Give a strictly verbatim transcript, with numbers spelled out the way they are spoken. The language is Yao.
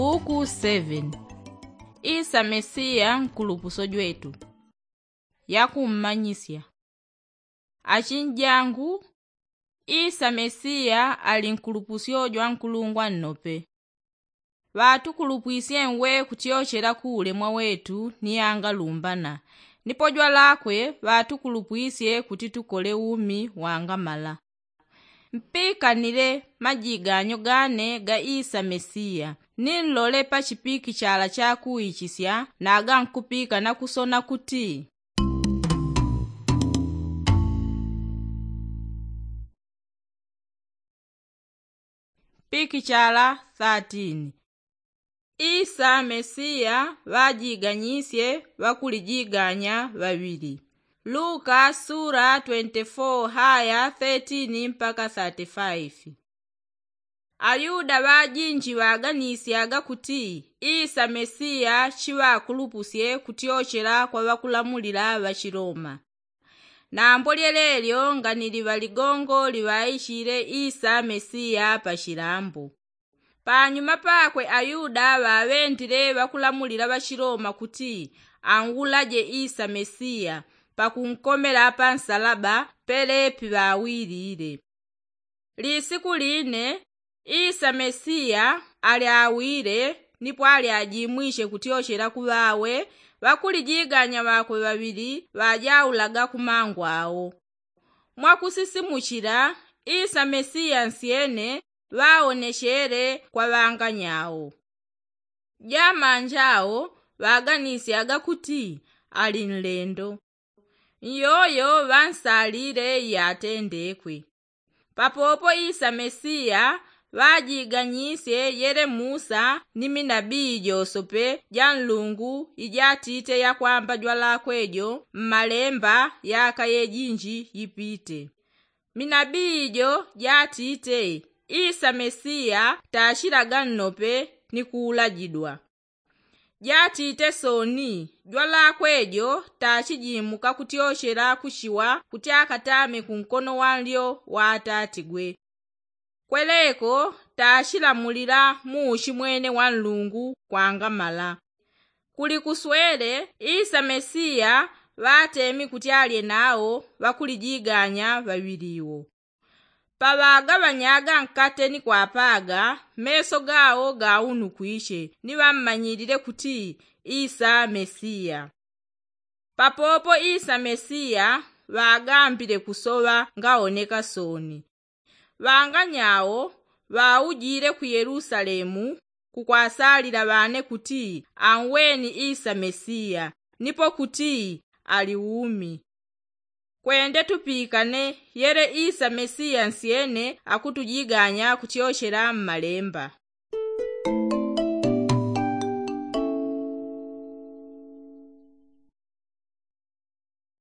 Buku seven. Isa mesiya nkulupuso jwetu. Yakummanyisya. Achinjangu, isa mesiya ali nkulupusyo jwa nkulungwa nnope. Ŵatukulupwisye nwe kutyochela ku ulemwa wetu ni yangalumbana. Nipo jwalakwe ŵatukulupwisye kuti tukole umi wangamala. Mpikanile majiganyo gane ga isa mesiya, ni nlole pa chipikichala cha kuichisya na gankupika na kusona kuti. Pikichala thirteen. Isa mesiya ŵajiganyisye ŵakulijiganya ŵaŵili. Luka sura twenty-four haya thirteen mpaka thirty-five. Ayuda ŵajinji ŵaganisyaga kuti isa mesiya chiŵakulupusye kutyochela kwa ŵakulamulila ŵachiloma. Nambo lyelelyo nganili ŵaligongo liŵaichile isa mesiya pachilambo. Panyuma pakwe ayuda ŵaŵendile ŵakulamulila ŵachiloma kuti anwulaje isa mesiya pakunkomela pansalaba pelepi ŵawilile. Lisiku line isa mesiya alyawile, nipo alyajimwishe kutyochela ku ŵawe ŵakulijiganya ŵakwe ŵaŵili ŵajaulaga ku mangu awo. Mwakusisimuchila isa mesiya nsyene ŵaonechele kwa ŵanganyao. Jamanjao ŵaganisyaga kuti ali nlendo. Nyoyo ŵansalile yatendekwe. Papopo isa mesiya ŵajiganyisye yele musa ni minabii josope ja nlungu ijatite yakwamba jwalakwe jo mmalemba yaka yejinji yipite. Minabii jo jatite isa mesiya tachilaga nnope ni kuulajidwa. Jatite soni jwalakwe jo tachijimuka kutyochela kuchiwa kuti akatame kunkono wanlyo wa atatigwe. Kweleko tachilamulila muuchimwene wa nlungu kwangamala. Kuli kuswele isa mesiya ŵatemi kuti alye nao ŵakulijiganya ŵaŵiliwo. Paŵagaŵanyaga nkate ni kwapaga, meso gao gaunukwiche ni ŵammanyilile kuti isa mesiya. Papopo isa mesiya ŵagambile kusoŵa ngaoneka soni. Ŵanganyao ŵaujile ku yelusalemu kukwasalila ŵane kuti anweni isa mesiya nipo kuti ali umi. Kwende tupikane yele isa mesiya nsyene akutujiganya kutyochela mmalemba.